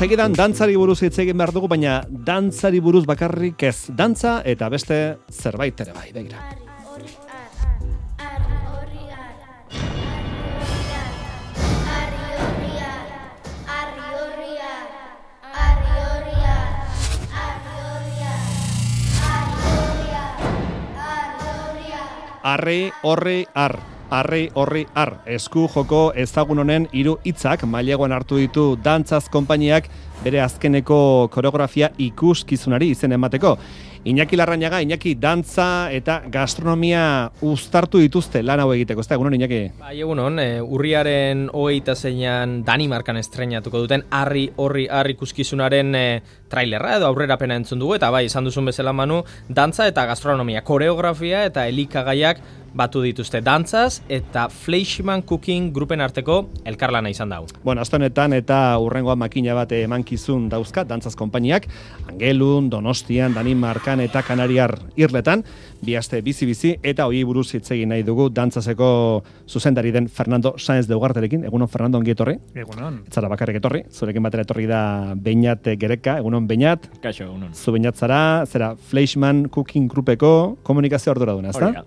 segidan dantzari buruz hitz egin behar dugu, baina dantzari buruz bakarrik ez, dantza eta beste zerbait ere bai, begira. Arri, horri, esku joko ezagun honen 3 hitzak maileguan hartu ditu dantzaz konpainiak bere azkeneko koreografia ikuskizunari izen emateko. Iñaki Larrañaga, Iñaki, dantza eta gastronomia uztartu dituzte lan hau egiteko, ez da, egunon, Iñaki? Bai, egunon, urriaren 26an Danimarkan estreinatuko duten Arri ikuskizunaren trailerra edo aurrerapena entzun dugu, eta bai, esan duzun bezala Manu, dantza eta gastronomia, koreografia eta elikagaiak batu dituzte dantzaz eta Fleischmann Cooking grupen arteko elkarlana izan dau. Bueno, astonetan eta urrengoa makina bat emankizun dauzka dantzaz konpainiak, Angelun, Donostian, Danimarkan eta Kanariar irletan, bi aste bizi-bizi eta hori buruz hitz egin nahi dugu dantzazeko zuzendari den Fernando Sáenz de Ugarterekin. Egunon, Fernando, ongi etorri. Egunon. Ez zara bakarrik etorri, zurekin batera etorri da Beñat Gereka. Egunon, Beñat. Kaixo, egunon. Zu Beñat zara, zera Fleischmann Cooking grupeko komunikazio arduraduna, ez da? Hori da.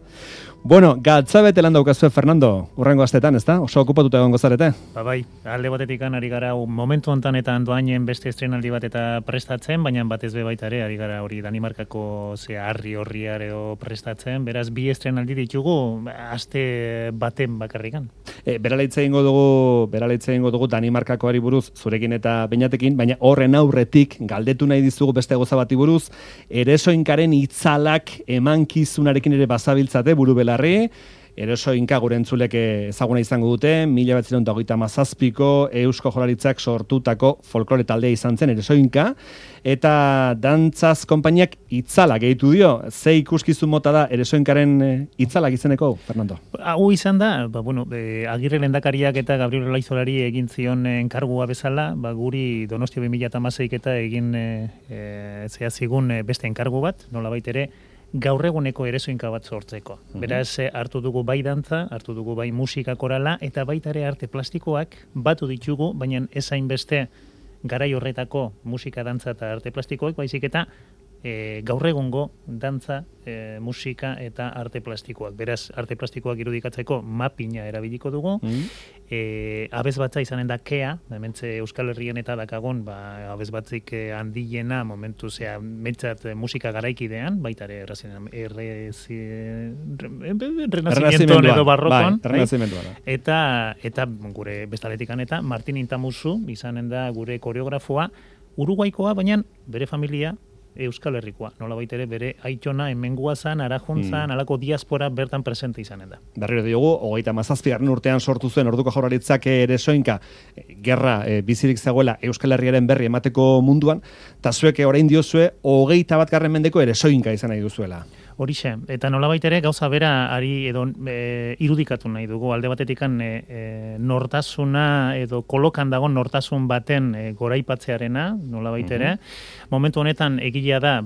Bueno, gatzabete lan daukazue, Fernando, urrengo astetan, ez da? Oso okupatuta egongo zarete? Bai, alde batetik ari gara momentu hontan eta doainen beste estrenaldi bat eta prestatzen, baina batez be baita ere, ari gara hori Danimarkako Arri horriar edo prestatzen, beraz bi estrenaldi ditugu aste baten bakarrikan. Beralaitze egingo dugu Danimarkakoari buruz zurekin eta Beñatekin, baina horren aurretik galdetu nahi dizugu beste goza bati buruz, Eresoinkaren itzalak emankizunarekin ere bazabiltzate buru belarri. Eresoinka gure entzulek ezaguna izango dute, 1927ko Eusko Jaurlaritzak sortutako folklore taldea izan zen Eresoinka, eta dantzaz konpainiak itzala gehitu dio. Ze ikuskizun mota da Eresoinkaren itzalak izeneko, Fernando? Hau izan da, Agirre lehendakariak eta Gabriel Olaizolari egin zion enkargua bezala, guri Donostia 2016 eta egin zigun beste enkargu bat, nolabait ere, gaur eguneko Eresoinka bat sortzeko. Beraz, hartu dugu bai dantza, hartu dugu bai musika korala, eta baita ere arte plastikoak batu ditugu, baina ez hainbeste garai horretako musika, dantza eta arte plastikoak, baizik eta gaur egungo dantza, musika eta arte plastikoak. Beraz, arte plastikoak irudikatzeko mapina erabiliko dugu, abesbatza izanen da kea, hementze Euskal Herrien eta dakagon, abesbatzik handiena momentu metzat musika garaikidean, baita ere Renazimentuan edo barrokon, eta gure bestaletikan eta Martin Intamuzu izanen da gure koreografoa, Uruguaikoa, baina bere familia Euskal Herrikoa, nolabait ere bere aitona hemengua zan, arajuntzan, alako diaspora bertan presente izanen da. Berriro diogu, 37. urtean sortu zuen orduko Jaurlaritzak Eresoinka gerra bizirik zegoela Euskal Herriaren berri emateko munduan, eta zuek orain diozue 21. mendeko Eresoinka izan nahi duzuela. Horixe, eta nolabait ere gauza bera ari edo irudikatu nahi dugu, alde batetikan nortasuna edo kolokan dago nortasun baten goraipatzearena, nolabait ere, momentu honetan egilea da,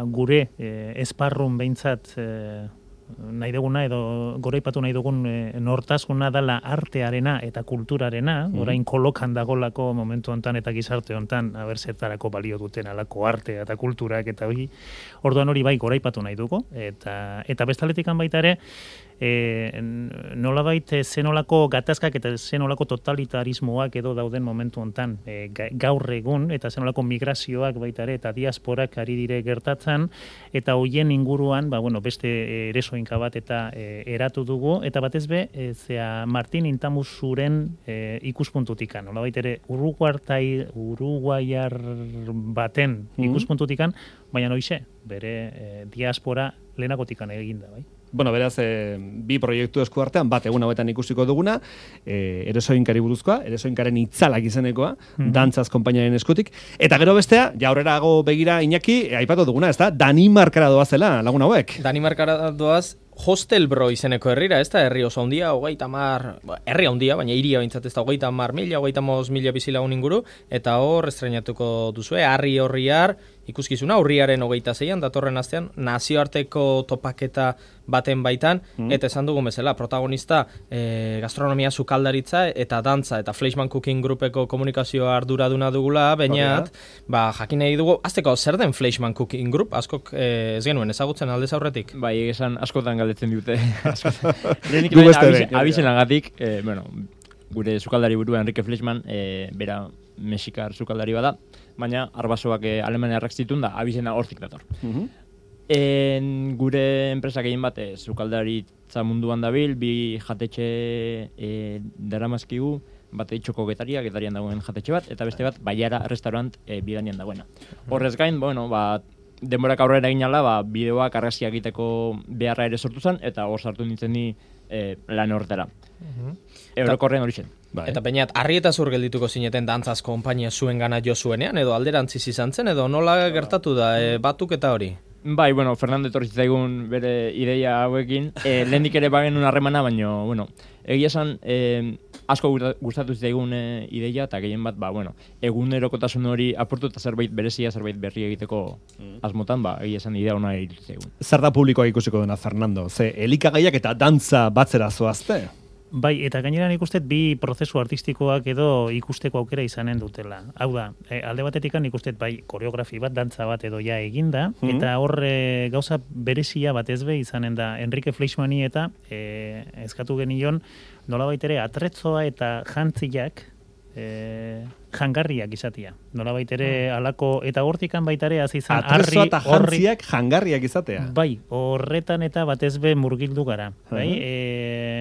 gure esparrun behintzat nahi duguna edo goraipatu nahi dugun nortasuna dela artearena eta kulturarena, orain kolokan dagolako momentu hontan eta gizarte hontan abertzertarako balio duten alako arte eta kulturak eta hori, orduan hori bai goraipatu nahi dugu, eta bestaletikan baita ere, nolabait zenolako gatazkak eta zenolako totalitarismoak edo dauden momentu hontan gaur egun, eta zenolako migrazioak baita ere eta diasporak ari dire gertatzen, eta hoien inguruan beste Eresoinka bat eta eratu dugu, eta batez be Martin Intamuzuren ikuspuntutikan, nolabait ere uruguaiar baten ikuspuntutikan, baina noize, bere diaspora lehenagotikan eginda, bai? Bueno, beraz, bi proiektu esku artean, bat egun hauetan ikusiko duguna, Eresoinkari buruzkoa, Eresoinkaren itzalak izenekoa, dantzaz konpainiaren eskutik, eta gero bestea, aurrerago begira Iñaki, aipatu duguna, ez da, Danimarkara doazela lagun hauek. Danimarkara doaz, Hostelbro izeneko herrira, ez da, herri oso handia, herri handia, baina hiria bintzat ez da, 30.000, 35.000 bizilagun inguru, eta hor estreinatuko duzue, Arri horriar ikuskizuna, urriaren 26an, datorren astean, nazioarteko topaketa baten baitan, eta esan dugun bezala, protagonista gastronomia sukaldaritza eta dantza, eta Fleischmann Cooking Groupeko komunikazioa arduraduna dugula, bainat, jakin nahi dugu, azteko zer den Fleischmann Cooking Group, askok ez genuen ezagutzen aldez aurretik? Bai, esan askotan galdetzen dute. Lehenik abizenagatik, gure sukaldari burua Enrique Fleischmann, bera mexikar sukaldari bada, baina arbasoak alemaniarrak zituen da, abizena hortik dator. Gure enpresa gehien bat sukaldaritza munduan dabil, bi jatetxe daramazkigu, bate txoko getarian dagoen jatetxe bat, eta beste bat Baiara restaurant bidanean dagoena. Horrez gain, denborak aurrera egin ala, bideoak argazkiak egiteko beharra ere sortu zen, eta hor sartu nintzen ni lan horretara. Eurokorrean hori zen. Eta bainat, harri eta zur geldituko zineten dantzaz konpainia zuen gana jo zuenean, edo alderantziz izan zen, edo nola gertatu da, batuk eta hori? Bai, Fernando etorri zitzaigun bere ideia hauekin, lehendik ere bagen harremana, baina, egia esan, asko gustatu zitzaigun ideia, eta gehien bat, egunerokotasun hori aportu eta zerbait berezia, zerbait berri egiteko asmotan, egia esan idea hona irutu zitzaigun. Zer da publikoa ikusiko dena, Fernando? Ze, elikagaiak eta dantza batzera zoazte? Bai, eta gainera nik uste bi prozesu artistikoak edo ikusteko aukera izanen dutela. Hau da, alde batetik nik uste bai koreografi bat, dantza bat edo ja eginda, eta hor gauza berezia bat ezbe izanen da Enrique Fleischmanni eta eskatu genion nolabait ere atretzoa eta jantziak jangarriak izatea. Nolabait ere alako, eta hortikan baitare hasi izan atrezoa eta jantziak jangarriak izatea. Bai, horretan eta batezbe murgildu gara. Bai?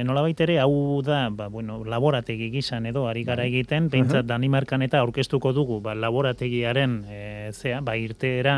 Nolabait ere hau da, laborategi gizan edo ari gara egiten, behintzat Danimarkan eta aurkeztuko dugu, laborategiaren irteera,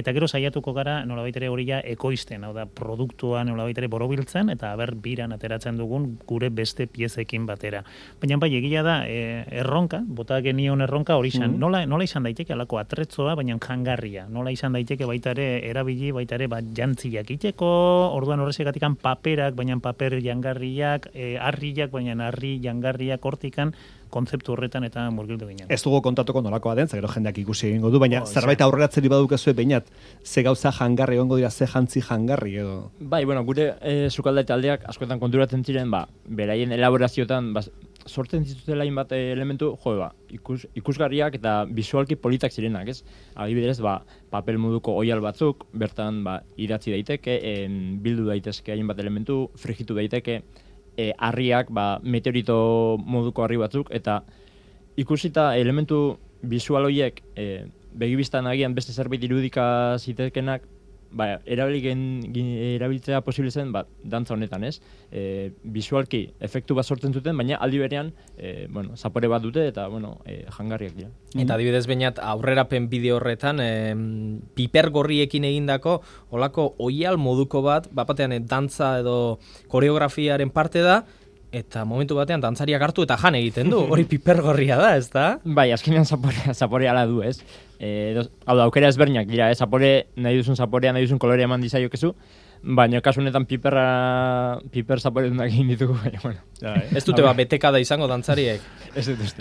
eta gero saiatuko gara nolabait ere hori ja ekoizten, hau da, produktua nolabait ere borobiltzen, eta biran ateratzen dugun gure beste piezekin batera. Baina bai, egia da, erronka, bota genion erronka hori izan, nola izan daiteke alako atretzoa, baina jangarria, nola izan daiteke baitare erabili, baitare jantziak iteko, orduan horrezegatikan paperak, baina paper jangarriak, harriak, baina harri jangarriak hortikan, kontzeptu horretan eta murgildu ginen. Ez dugu kontatuko nolakoa den, gero jendeak ikusi egingo du, baina zerbait aurreratzeri badukezue beinat, ze gauza jangarri egongo dira, ze jantzi jangarri edo. Bai, gure sukaldaritza taldeak askotan konturatzen ziren, beraien elaborazioetan sortzen zituztela hainbat elementu, ikusgarriak eta bisualki politak zirenak, ez? Adibidez, papel moduko oihal batzuk, bertan idatzi daiteke, bildu daitezke hainbat elementu, frigitu daiteke, harriak, meteorito moduko harri batzuk, eta ikusita elementu bisual horiek begibistan agian beste zerbait irudika zitekenak, erabiltzea posible zen, dantza honetan, ez? Bisualki efektu bat sortzen zuten, baina aldi berean, zapore bat dute eta, jangarriak dira. Eta adibidez bainat, aurrerapen bideo horretan, piper gorriekin egindako, olako oial moduko bat, batean dantza edo koreografiaren parte da, eta momentu batean dantzariak hartu eta jan egiten du, hori pipergorria da, ez da? Bai, azkenean zapore ala du, ez? Hau da, aukera ezberdinak dira, nahi duzun zaporea, nahi duzun kolorea eman dizaiokezu, baina kasu honetan piper zapore dunak egin ditugu, baina, Ez dute betekada izango dantzariek? Ez dut.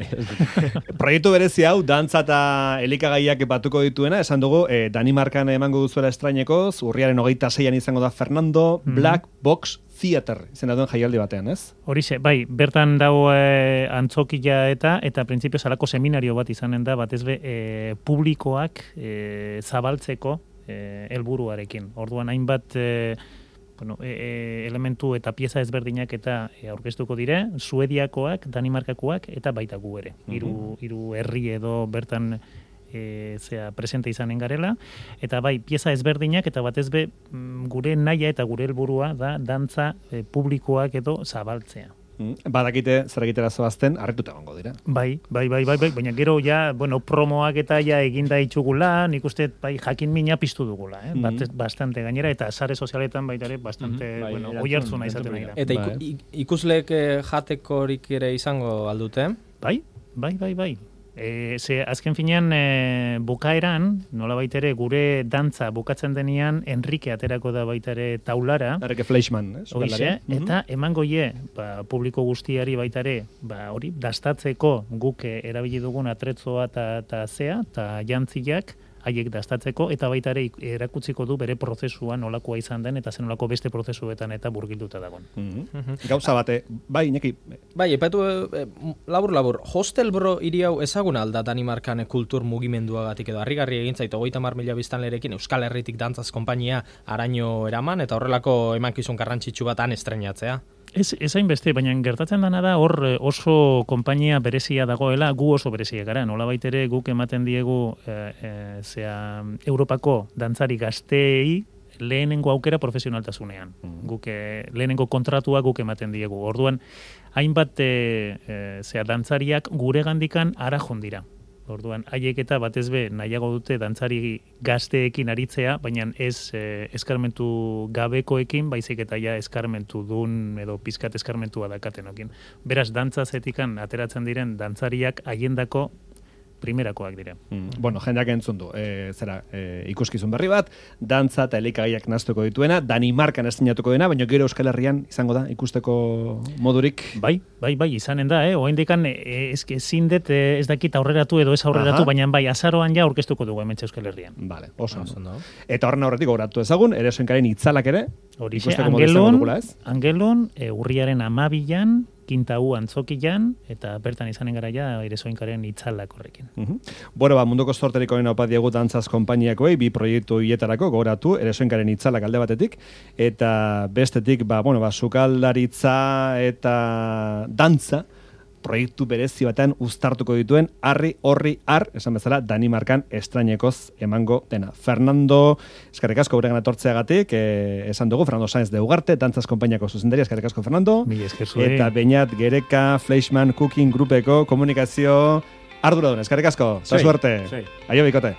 Proiektu berezi hau, dantza eta elikagaiak batuko dituena, esan dugu, Danimarkan emango duzuela estrainekoz, urriaren 26an izango da Fernando, Black Box Theater, izena duen jaialdi batean, ez? Horixe, bai, bertan dago antzokia eta printzipio salako seminario bat izanen da, batezbe publikoak zabaltzeko helburuarekin. Orduan hainbat elementu eta pieza ezberdinak eta aurkeztuko dire, Suediakoak, Danimarkakoak eta baita gu ere. Hiru herri edo bertan presente izanen garela, eta bai, pieza ezberdinak eta batezbe gure naia eta gure helburua da dantza publikoak edo zabaltzea. Badakite zer egitera zoazten, harrituta egongo dira. Bai, baina gero ja, promoak eta ja eginda itxugula, nik uste jakin mina piztu dugula, bastante gainera, eta sare sozialetan baitare bastante, oi hartzuna izaten nahi da. Eta ikusleek jatekorik ere izango aldute? Bai. Ze azken finean bukaeran, nola baitere gure dantza bukatzen denean, Enrique aterako da baitare taulara. Enrique Fleischmann, eta emango publiko guztiari baitare, hori, dastatzeko guk erabili dugun atretzoa eta zea, eta jantziak, haiek dastatzeko, eta baita ere erakutziko du bere prozesua nolakoa izan den, eta zenolako beste prozesuetan eta burgilduta dagoen. Gauza bate, bai, Iñaki. Bai, epatu labur, Hostelbro hiri hau ezaguna alda Danimarkan kultur mugimenduagatik edo harrigarri egin zait 30.000 biztanlerekin Euskal Herritik dantzaz konpainia araño eraman eta horrelako emankizun garrantzitsu bat han estreinatzea. Ez hainbeste, baina gertatzen dana da hor oso konpainia berezia dagoela, gu oso berezia gara. Nolabait ere guk ematen diegu Europako dantzari gazteei lehenengo aukera profesionaltasunean. Guk lehenengo kontratua guk ematen diegu. Orduan, hainbat dantzariak gure gandikan ara jondira. Orduan, haiek eta batez be nahiago dute dantzari gazteekin aritzea, baina ez eskarmentu gabekoekin, baizik eta ja eskarmentu dun edo pizkat eskarmentua dakatenokin. Beraz, dantzazetikan ateratzen diren dantzariak haiendako primerakoak dira. Bueno, jendeak entzun du. Ikuskizun berri bat, dantza eta elikagaiak nastuko dituena, Danimarkan estrenatuko dena, baina gero Euskal Herrian izango da ikusteko modurik. Bai, izanen da, oraindikan ezin dut ez dakit aurreratu edo ez aurreratu, baina bai azaroan ja aurkeztuko dugu hementxe Euskal Herrian. Vale, oso ondo. Eta horren aurretik gogoratu ezagun, Eresoinkaren itzalak ere, horixe, Angelon, urriaren 12an, Kintau antzokian, eta bertan izanen gara ja Eresoinkaren itzalak horrekin. Bueno, munduko zorterik onena opa diegu dantzaz konpainiakoei, bi proiektu hietarako gogoratu, Eresoinkaren itzalak alde batetik, eta bestetik, sukaldaritza eta dantza, proiektu berezi batean uztartuko dituen Harri Horri Har, esan bezala Danimarkan estrainekoz emango dena. Fernando, eskerrik asko guregan etortzeagatik, esan dugu, Fernando Sáenz de Ugarte, dantzaz konpainiako zuzendaria, eskerrik asko Fernando. Eta Beñat Gereka, Fleischmann Cooking Grupeko komunikazio arduradun, eskerrik asko. Suerte. Aio bikote.